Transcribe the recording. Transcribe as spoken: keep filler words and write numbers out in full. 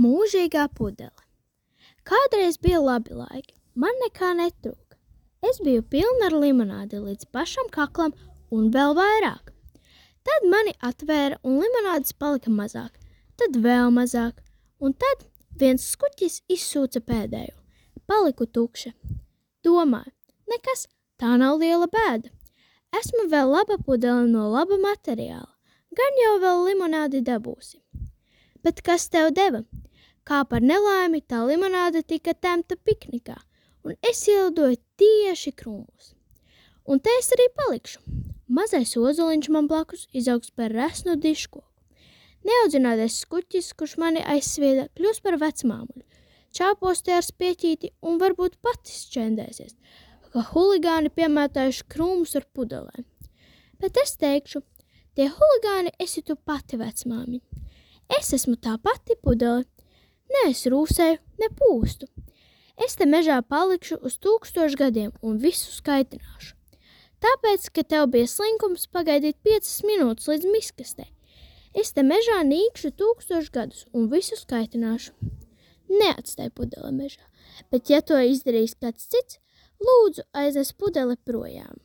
Mūžīgā pudele. Kādreiz bija labi laiki, man nekā netrūka. Es biju pilna ar limonādi līdz pašam kaklam un vēl vairāk. Tad mani atvēra un limonādes palika mazāk, tad vēl mazāk, un tad viens skuķis izsūca pēdējo. Paliku tukša. Domāju, nekas, tā nav liela bēda. Esmu vēl laba pudele no laba materiāla, gan jau vēl limonādi dabūsi. Bet kas tev deva? Kā par nelaimi, tā limonāde tika temta piknikā, un es ielidoju tieši krūmos. Un te es arī palikšu. Mazais ozoliņš man blakus izaugs par resnu diškoku. Neaudzinātais skuķis, kurš mani aizsvieda, kļūs par vecmāmuļu. Čāpos te ar spieķīti un varbūt pati šķendēsies, ka huligāni piemētājuši krūmus ar pudelēm. Bet es teikšu, tie huligāni esi tu pati, vecmāmiņa. Es esmu tā pati pudele. Ne es rūsēju, ne pūstu. Es te mežā palikšu uz tūkstošu gadiem un visu skaitināšu. Tāpēc, ka tev bija slinkums pagaidīt piecas minūtes līdz miskastei. Es te mežā nīkšu tūkstošu gadus un visu skaitināšu. Neatstāj pudele mežā, bet ja to izdarīs kāds cits, lūdzu aiznes pudeli projām.